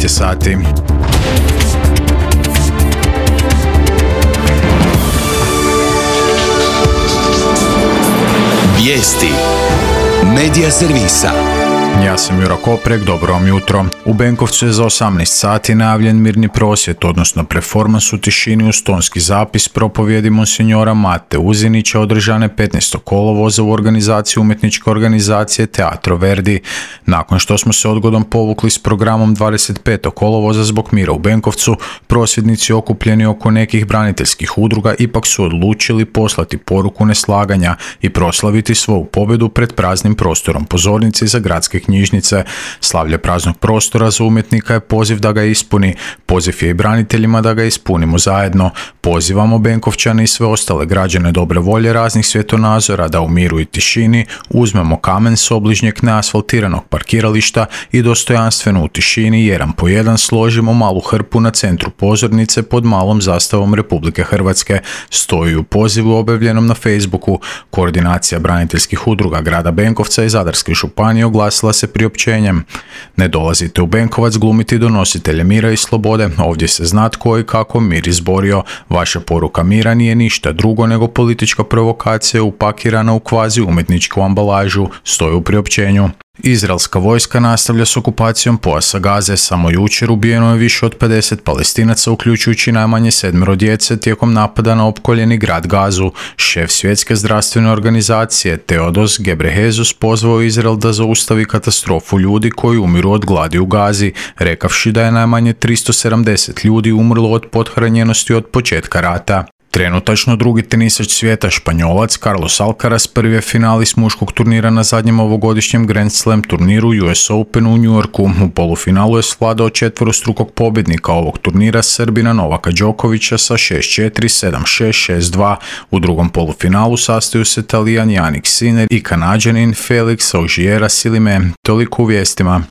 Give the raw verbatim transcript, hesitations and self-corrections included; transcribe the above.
devet je sati. Vijesti Medija servisa. Ja sam Juro Koprek, dobro vam jutro. U Benkovcu je za osamnaest sati najavljen mirni prosvjed, odnosno performans u tišini uz tonski zapis propovjedi monsinjora Mate Uzinića održane petnaestog kolovoza u organizaciji umjetničke organizacije Teatro Verdi. Nakon što smo se odgodom povukli s programom dvadeset petog kolovoza zbog mira u Benkovcu, prosvjednici okupljeni oko nekih braniteljskih udruga ipak su odlučili poslati poruku neslaganja i proslaviti svoju pobjedu pred praznim prostorom pozornice za gradske knjižnice. Slavlje praznog prostora za umjetnika je poziv da ga ispuni. Poziv je i braniteljima da ga ispunimo zajedno. Pozivamo Benkovčane i sve ostale građane dobre volje raznih svjetonazora da u miru i tišini uzmemo kamen s obližnjeg neasfaltiranog parkirališta i dostojanstveno u tišini jedan po jedan složimo malu hrpu na centru pozornice pod malom zastavom Republike Hrvatske. Stoji u pozivu objavljenom na Facebooku. Koordinacija braniteljskih udruga grada Benkovca i Zadarske županije oglasila se priopćenjem: ne dolazite u Benkovac glumiti donositelje mira i slobode, ovdje se zna tko i kako mir izborio. Vaša poruka mira nije ništa drugo nego politička provokacija upakirana u kvazi umjetničku ambalažu, stoji u priopćenju. Izraelska vojska nastavlja s okupacijom pojasa Gaze. Samo jučer ubijeno je više od pedeset Palestinaca, uključujući najmanje sedmero djece tijekom napada na opkoljeni grad Gazu. Šef svjetske zdravstvene organizacije Teodos Gebrehesus pozvao Izrael da zaustavi katastrofu ljudi koji umiru od gladi u Gazi, rekavši da je najmanje tristo sedamdeset ljudi umrlo od pothranjenosti od početka rata. Trenutačno drugi tenisač svijeta, Španjolac Carlos Alcaraz, prvi je finalist muškog turnira na zadnjem ovogodišnjem Grand Slam turniru U S Open u New Yorku. U polufinalu je svladao četverostrukog pobjednika ovog turnira, Srbina Novaka Đokovića sa šest četiri, sedam šest, šest dva. U drugom polufinalu sastaju se Talijan Jannik Sinner i Kanađanin Felix Auger-Aliassime. Toliko u vijestima.